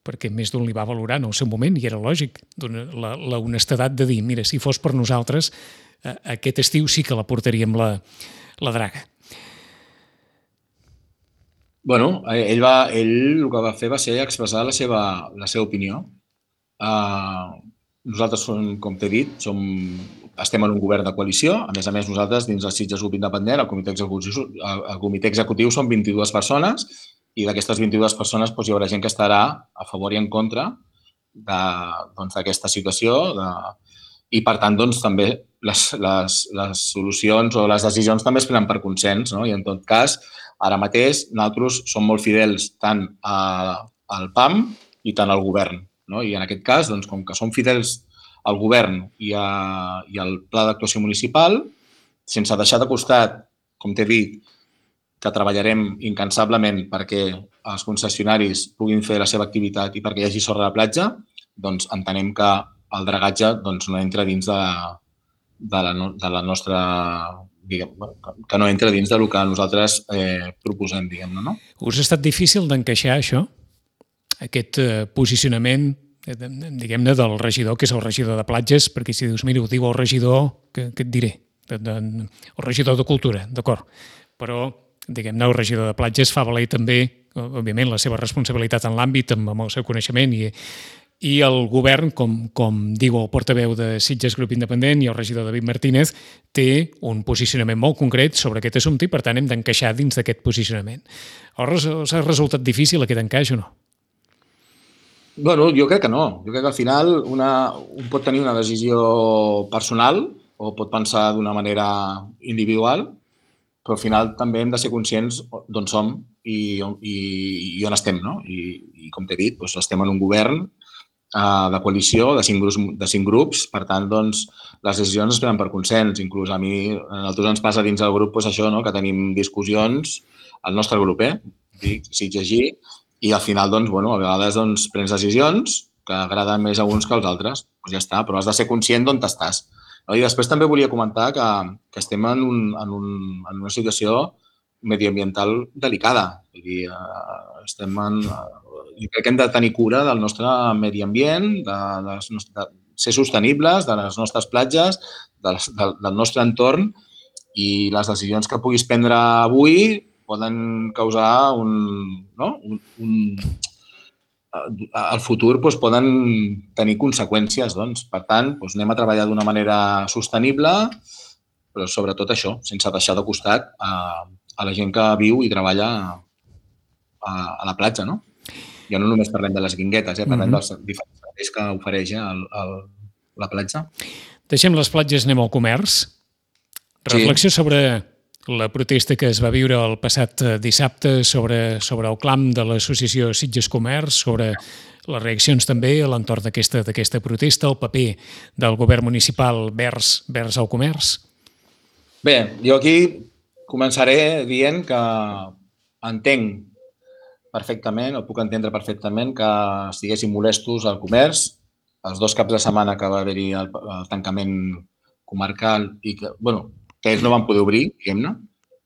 B: perquè més d'un li va valorar en el seu moment, i era lògic, la, la honestedat de dir, mira, si fos per nosaltres, aquest estiu sí que la portaríem la, la draga.
C: Bueno, ell, va, ell el que va fer va ser expressar la seva, la seva opinió. Uh, nosaltres, com t'he dit, som estem en un govern de coalició. A més a més, nosaltres, dins del Sitges Grup Independent, el comitè executiu, el comitè executiu són vint-i-dues persones i d'aquestes vint-i-dues persones doncs, hi haurà gent que estarà a favor i en contra d'aquesta doncs, situació de... i, per tant, doncs, també les, les, les solucions o les decisions també es prenen per consens. No? I, en tot cas, ara mateix, nosaltres som molt fidels tant a, al P A M i tant al govern. No? I, en aquest cas, doncs, com que som fidels al govern i, a, i al pla d'actuació municipal, sense deixar de costat, com t'he dit, que treballarem incansablement perquè els concessionaris puguin fer la seva activitat i perquè hi hagi sorra a la platja, doncs entenem que el dragatge doncs, no entra dins de la, de la, de la nostra... Diguem, que no entra dins del que nosaltres eh, proposem, diguem-ne, no?
B: Us ha estat difícil d'encaixar això? Aquest eh, posicionament, eh, diguem-ne, del regidor, que és el regidor de platges, perquè si dius, mira, ho diu el regidor, què, què et diré? De, de, el regidor de cultura, d'acord. Però, diguem-ne, el regidor de platges fa valer també, òbviament, la seva responsabilitat en l'àmbit, amb, amb el seu coneixement i... I el govern, com, com diu el portaveu de Sitges Grup Independent i el regidor David Martínez, té un posicionament molt concret sobre aquest assumpte i, per tant, hem d'encaixar dins d'aquest posicionament. Us ha resultat difícil aquest encaix o no?
C: Bueno, jo crec que no. Jo crec que al final una, un pot tenir una decisió personal o pot pensar d'una manera individual, però al final també hem de ser conscients d'on som i, i, i on estem, no? I, i com t'he dit, doncs estem en un govern de coalició, de cinc, grups, de cinc grups, per tant, doncs, les decisions es prenen per consens. Inclús a mi, a nosaltres ens passa dins del grup doncs, això, no? Que tenim discussions, al nostre grup, eh? Dic, Sitges-G, i al final, doncs, bueno, a vegades doncs, prens decisions que agraden més a uns que als altres. Doncs ja està, però has de ser conscient d'on estàs. I després també volia comentar que, que estem en, un, en, un, en una situació mediambiental delicada. Vull dir, estem en... Jo crec que hem de tenir cura del nostre medi ambient, de, de, de ser sostenibles, de les nostres platges, de, de, del nostre entorn, i les decisions que puguis prendre avui poden causar un... No? un, un al futur doncs, poden tenir conseqüències. Doncs. Per tant, doncs, anem a treballar d'una manera sostenible, però sobretot això, sense deixar de costat a, a la gent que viu i treballa a, a la platja, no? Ja no només parlem de les guinguetes, eh? Parlem mm-hmm. dels diferents serveis que ofereix eh? el, el, la platja.
B: Deixem les platges, anem al comerç. Reflexió sí. sobre la protesta que es va viure el passat dissabte sobre, sobre el clam de l'associació Sitges Comerç, sobre les reaccions també a l'entorn d'aquesta d'aquesta protesta, el paper del govern municipal vers, vers el comerç.
C: Bé, jo aquí començaré dient que entenc perfectament, o puc entendre perfectament que estiguessin molestos al comerç els dos caps de setmana que va haver-hi el, el tancament comarcal i que, bueno, que ells no van poder obrir, diguem-ne,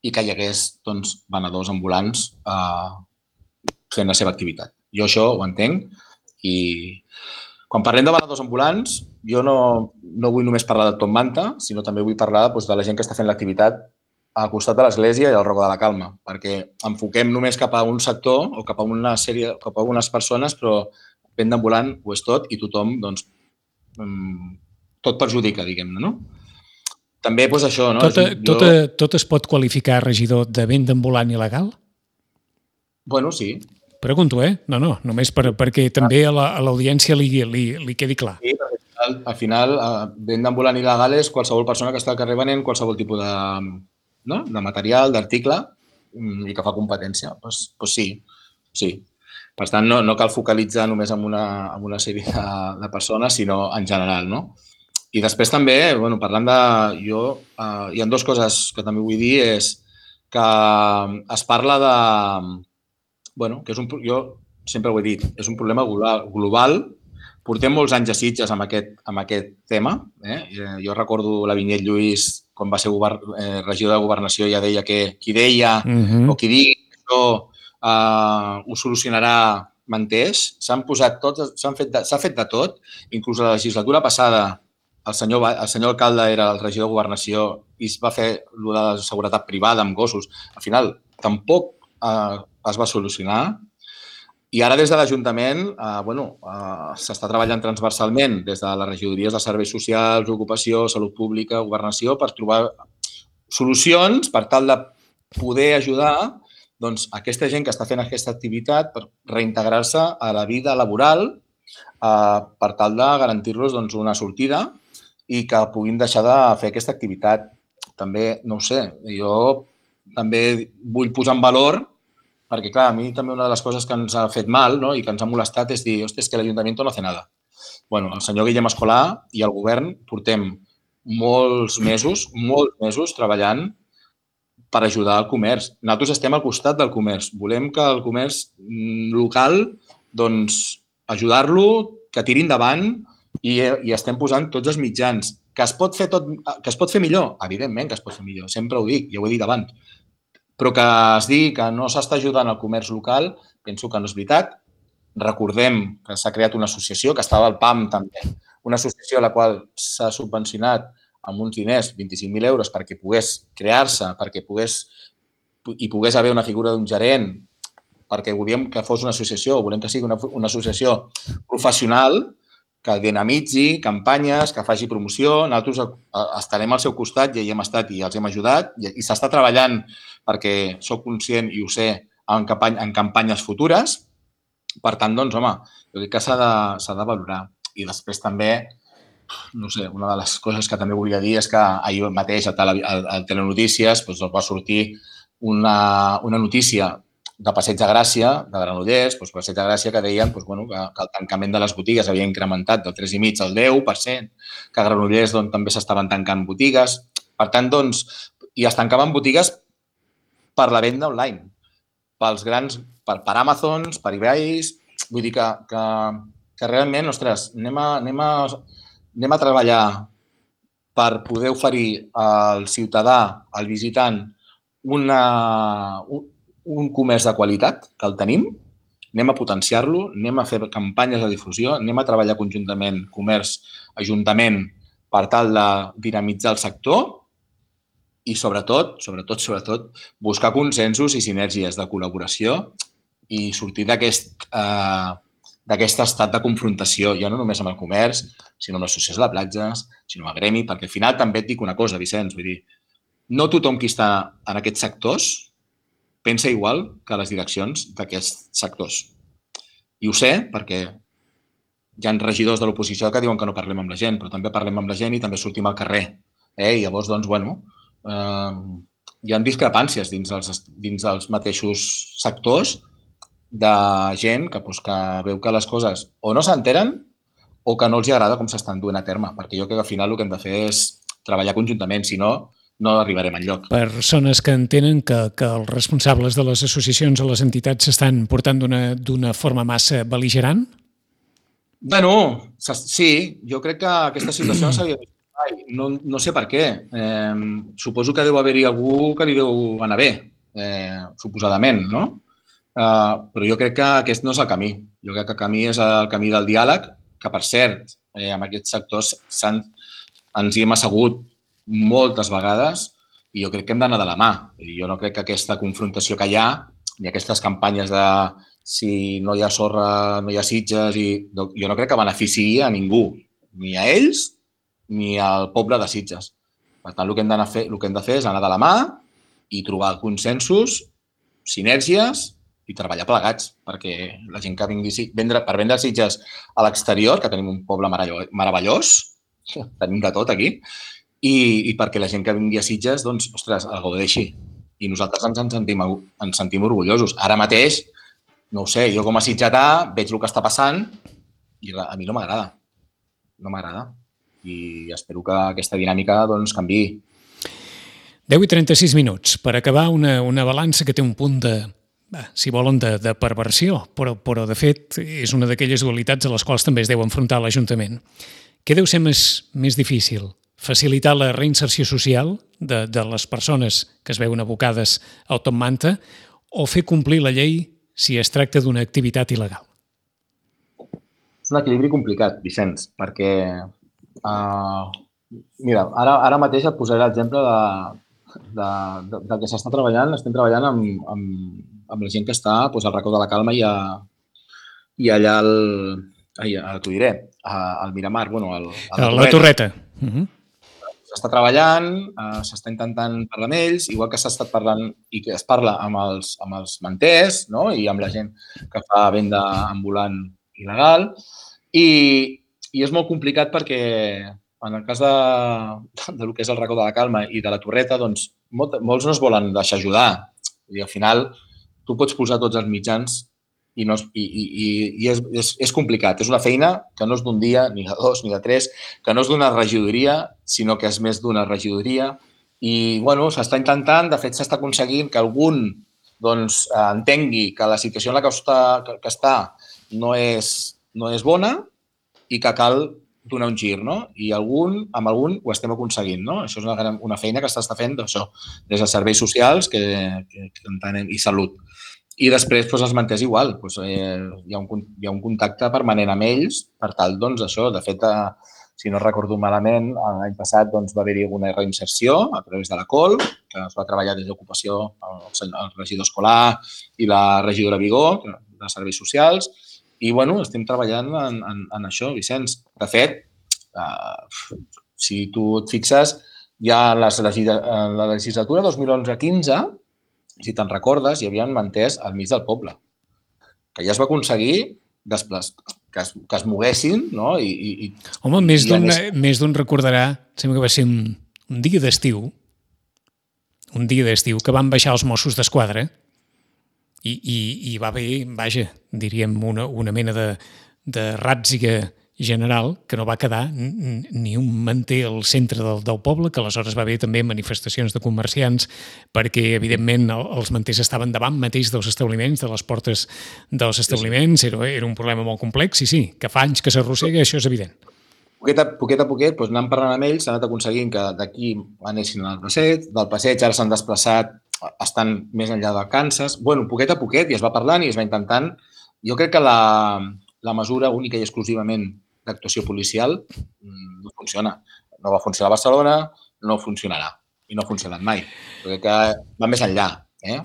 C: i que hi hagués doncs, venedors ambulants eh, fent la seva activitat. Jo això ho entenc i quan parlem de venedors ambulants jo no, no vull només parlar de Top Manta, sinó també vull parlar doncs, de la gent que està fent l'activitat al costat de l'església i al Roca de la Calma, perquè enfoquem només cap a un sector o cap a una sèrie, cap a unes persones, però venda ambulant ho és tot i tothom, doncs, tot perjudica, diguem-ne, no? També, doncs, això, no?
B: Tot, jo... tot, tot es pot qualificar, regidor, de venda ambulant il·legal?
C: Bueno, sí.
B: Pregunto, eh? No, no, només per, perquè també a l'audiència li, li, li quedi clar.
C: Sí, al, al final, venda ambulant il·legal és qualsevol persona que està al carrer venent qualsevol tipus de... No? de material, d'article i que fa competència. Doncs, doncs sí, sí. Per tant, no, no cal focalitzar només en una, en una sèrie de, de persones, sinó en general. No? I després també, bueno, parlant de... Jo, eh, hi ha dues coses que també vull dir, és que es parla de... Bueno, que és un... Jo sempre ho he dit, és un problema global. Portem molts anys a Sitges amb aquest, amb aquest tema. Eh? Jo recordo la Vinyet Lluís, quan va ser govern, eh, regidor de Governació, ja deia que qui deia uh-huh. o qui digui que això eh, ho solucionarà menteix. S'han posat tots, s'han fet de, s'ha fet de tot. Inclús a la legislatura passada el senyor, el senyor alcalde era el regidor de Governació i es va fer el de la seguretat privada amb gossos. Al final, tampoc eh, es va solucionar. I ara des de l'Ajuntament eh, bueno, eh, s'està treballant transversalment des de les regidories de serveis socials, ocupació, salut pública, governació, per trobar solucions per tal de poder ajudar doncs, aquesta gent que està fent aquesta activitat per reintegrar-se a la vida laboral eh, per tal de garantir-los doncs, una sortida i que puguin deixar de fer aquesta activitat. També, no ho sé, jo també vull posar en valor perquè, clar, a mi també una de les coses que ens ha fet mal, no?, i que ens ha molestat és dir, hòstia, és que l'Ajuntament no hace nada. Bueno, el senyor Guillem Escolà i el govern portem molts mesos, molts mesos treballant per ajudar al comerç. Nosaltres estem al costat del comerç. Volem que el comerç local, doncs, ajudar-lo, que tiri endavant i, i estem posant tots els mitjans. Que es pot fer tot, que es pot fer millor? Evidentment que es pot fer millor, sempre ho dic, ja ho he dit abans. Però que es digui que no s'està ajudant al comerç local, penso que no és veritat. Recordem que s'ha creat una associació, que estava al P A M també, una associació a la qual s'ha subvencionat amb uns diners, vint-i-cinc mil euros, perquè pogués crear-se, perquè pogués, hi pogués haver una figura d'un gerent, perquè volíem que fos una associació, volem que sigui una, una associació professional, que dinamitzi campanyes, que faci promoció. Nosaltres estarem al seu costat, ja hi hem estat i els hem ajudat, i s'està treballant perquè soc conscient i ho sé en, campany, en campanyes futures. Per tant, doncs, home, jo crec que s'ha de, s'ha de valorar. I després també, no sé, una de les coses que també volia dir és que ahir mateix a, tele, a, a Telenotícies doncs, va sortir una, una notícia de Passeig de Gràcia, de Granollers, doncs Passeig de Gràcia, que deien doncs, bueno, que, que el tancament de les botigues havia incrementat del tres coma cinc al deu per cent, que a Granollers doncs, també s'estaven tancant botigues. Per tant, doncs, i es tancaven botigues per la venda online, pels grans, per, per Amazons, per eBays. Vull dir que, que, que realment, ostres, anem a, anem, a, anem a treballar per poder oferir al ciutadà, al visitant, una, un, un comerç de qualitat, que el tenim, anem a potenciar-lo, anem a fer campanyes de difusió, anem a treballar conjuntament comerç, ajuntament, per tal de dinamitzar el sector i, sobretot, sobretot, sobretot, buscar consensos i sinergies de col·laboració i sortir d'aquest eh, d'aquest estat de confrontació, ja no només amb el comerç, sinó amb l'associació de platges, sinó amb el gremi, perquè al final també et dic una cosa, Vicenç, vull dir, no tothom qui està en aquests sectors pensa igual que les direccions d'aquests sectors. I ho sé perquè hi ha regidors de l'oposició que diuen que no parlem amb la gent, però també parlem amb la gent i també sortim al carrer. Eh? I llavors, doncs, bueno, eh, hi ha discrepàncies dins els, dins els mateixos sectors de gent que, doncs, que veu que les coses o no s'enteren o que no els agrada com s'estan duent a terme, perquè jo crec que al final el que hem de fer és treballar conjuntament, si no, no arribarem enlloc.
B: Persones que entenen que, que els responsables de les associacions o les entitats s'estan portant d'una forma massa bel·ligerant?
C: Bueno, sí, jo crec que aquesta situació no s'havia vist mai. No, no sé per què. Eh, suposo que deu haver-hi algú que li deu anar bé, eh, suposadament, no? Eh, però jo crec que aquest no és el camí. Jo crec que el camí és el camí del diàleg, que, per cert, eh, en aquests sectors ens hi hem assegut moltes vegades i jo crec que hem d'anar de la mà. Jo no crec que aquesta confrontació que hi ha i aquestes campanyes de si no hi ha sorra, no hi ha Sitges, i jo no crec que beneficiï a ningú, ni a ells ni al poble de Sitges. Per tant, el que hem d'anar a fer, el que hem de fer és anar de la mà i trobar consensos, sinergies i treballar plegats, perquè la gent que vingui vendre, per vendre Sitges a l'exterior, que tenim un poble meravellós, tenim de tot aquí, I, i perquè la gent que vingui a Sitges, doncs, ostres, el gaudeixi. I nosaltres ens en sentim, ens sentim orgullosos. Ara mateix, no ho sé, jo com a sitgetà veig el que està passant i a mi no m'agrada. No m'agrada. I espero que aquesta dinàmica doncs, canviï.
B: deu i trenta-sis minuts. Per acabar, una, una balança que té un punt de, si volen, de, de perversió, però, però de fet és una d'aquelles dualitats a les quals també es deu enfrontar l'Ajuntament. Què deu ser més, més difícil? Facilitar la reinserció social de, de les persones que es veuen abocades al top manta o fer complir la llei si es tracta d'una activitat il·legal?
C: És un equilibri complicat, Vicenç, perquè uh, mira, ara, ara mateix et posaré l'exemple de, de, de, del que s'està treballant. Estem treballant amb, amb, amb la gent que està doncs, al racó de la Calma i a, i allà al... Ai, ara t'ho diré, al Miramar, bueno, al, a la,
B: la Torreta. Uh -huh.
C: S'està treballant, eh, s'està intentant parlar amb ells, igual que s'ha estat parlant i que es parla amb els, amb els manters, no? I amb la gent que fa venda ambulant il·legal. I, i és molt complicat perquè en el cas de, de lo que és el racó de la Calma i de la Torreta, doncs molt, molts no es volen deixar ajudar. I al final tu pots posar tots els mitjans i, no, i, i, i és, és, és complicat. És una feina que no és d'un dia, ni de dos, ni de tres, que no és d'una regidoria, sinó que és més d'una regidoria. I, bueno, s'està intentant, de fet, s'està aconseguint que algun doncs, entengui que la situació en la que està, que, que està no és, no és bona i que cal donar un gir, no? I algun, amb algun ho estem aconseguint, no? Això és una, gran, una feina que s'està fent això, des dels serveis socials que, que, que entenem, i salut. I després, doncs, els manters igual. Doncs, eh, hi, ha un, hi ha un contacte permanent amb ells per tal, doncs, això. De fet, eh, si no recordo malament, l'any passat doncs, va haver-hi alguna reinserció a través de la C O L, que es va treballar des d'ocupació el, el regidor escolar i la regidora Vigó, de serveis socials. I, bueno, estem treballant en, en, en això, Vicenç. De fet, eh, si tu et fixes, ja en, les, en la legislatura dos mil onze quinze, si te'n recordes, hi havia manters al mig del poble, que ja es va aconseguir desplaç, que, es, que es moguessin, no? I, i,
B: Home, i, més d'un més d'un recordarà, sembla que va ser un, un dia d'estiu, un dia d'estiu, que van baixar els Mossos d'Esquadra i, i, i va haver, vaja, diríem, una, una mena de, de ràtziga general que no va quedar ni un manter al centre del, del poble, que aleshores va haver també manifestacions de comerciants perquè, evidentment, els manters estaven davant mateix dels establiments, de les portes dels establiments, era, era un problema molt complex i sí, que fa anys que s'arrossega, això és evident.
C: Poquet a poquet, a poquet doncs anant parlant amb ells, s'ha anat aconseguint que d'aquí anessin al passeig, del passeig ara s'han desplaçat, estan més enllà de Kansas. Bueno, poquet a poquet, i es va parlant i es va intentant. Jo crec que la, la mesura única i exclusivament d'actuació policial no funciona. No va funcionar a Barcelona, no funcionarà. I no ha funcionat mai. Crec que va més enllà. Eh?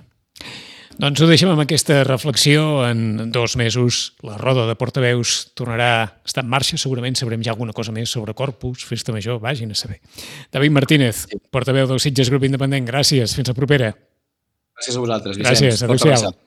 B: Doncs ho deixem amb aquesta reflexió. En dos mesos la roda de portaveus tornarà a estar en marxa. Segurament sabrem ja alguna cosa més sobre Corpus, Festa Major, vagin a saber. David Martínez, portaveu del Sitges Grup Independent, gràcies. Fins la propera.
C: Gràcies a vosaltres, Vicenç.
B: Gràcies, adéu-siau.